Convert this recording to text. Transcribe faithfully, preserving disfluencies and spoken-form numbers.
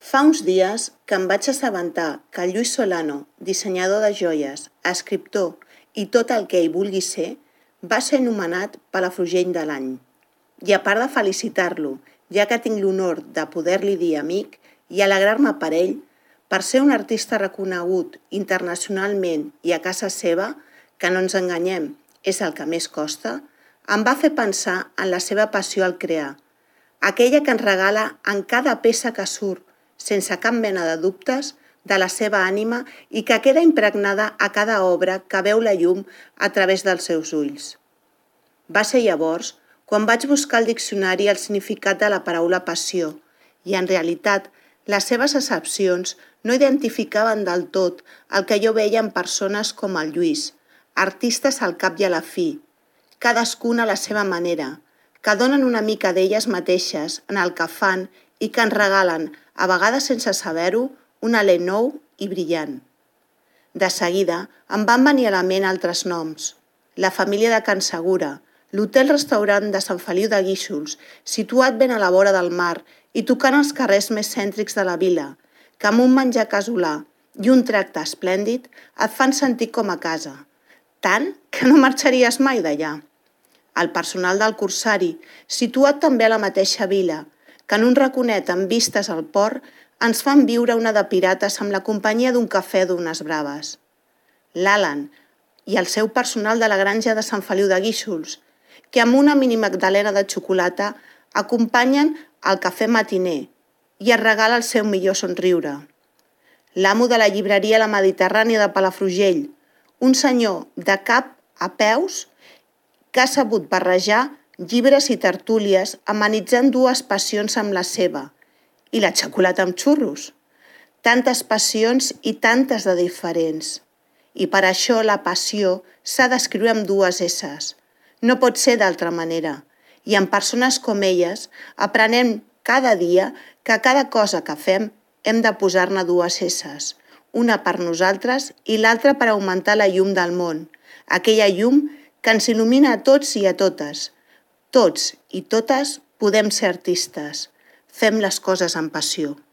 Fa uns dies que em vaig assabentar que el Lluís Solano, dissenyador de joies, escriptor i tot el que ell vulgui ser, va ser nomenat Palafrugell de l'any. I a part de felicitar-lo, ja que tinc l'honor de poder-li dir amic i alegrar-me per ell, per ser un artista reconegut internacionalment i a casa seva, que no ens enganyem, és el que més costa, em va fer pensar en la seva passió al crear, aquella que ens regala en cada peça que surt, sense cap mena de dubtes, de la seva ànima i que queda impregnada a cada obra que veu la llum a través dels seus ulls. Va ser llavors quan vaig buscar al diccionari el significat de la paraula passió i, en realitat, les seves accepcions no identificaven del tot el que jo veia en persones com el Lluís, artistes al cap i a la fi, cadascuna a la seva manera, que donen una mica d'elles mateixes en el que fan i que ens regalen, a vegades sense saber-ho, un alè nou i brillant. De seguida em van venir a la ment altres noms. La família de Can Segura, l'hotel-restaurant de Sant Feliu de Guíxols, situat ben a la vora del mar i tocant els carrers més cèntrics de la vila, que amb un menjar casolà i un tracte esplèndid et fan sentir com a casa, tant que no marxaries mai d'allà. El personal del Corsari, situat també a la mateixa vila, que en un raconet amb vistes al port ens fan viure una de pirates amb la companyia d'un cafè d'unes braves. L'Alan i el seu personal de la granja de Sant Feliu de Guíxols, que amb una mini magdalena de xocolata acompanyen el cafè matiner i es regala el seu millor somriure. L'amo de la llibreria La Mediterrània de Palafrugell, un senyor de cap a peus que ha sabut barrejar llibres i tertúlies amenitzant dues passions amb la seva, i la xocolata amb xurros. Tantes passions i tantes de diferents. I per això la passió s'ha d'escriure amb dues esses. No pot ser d'altra manera. I en persones com elles aprenem cada dia que cada cosa que fem hem de posar-ne dues esses. Una per nosaltres i l'altra per augmentar la llum del món. Aquella llum que ens il·lumina a tots i a totes. Tots i totes podem ser artistes. Fem les coses amb passió.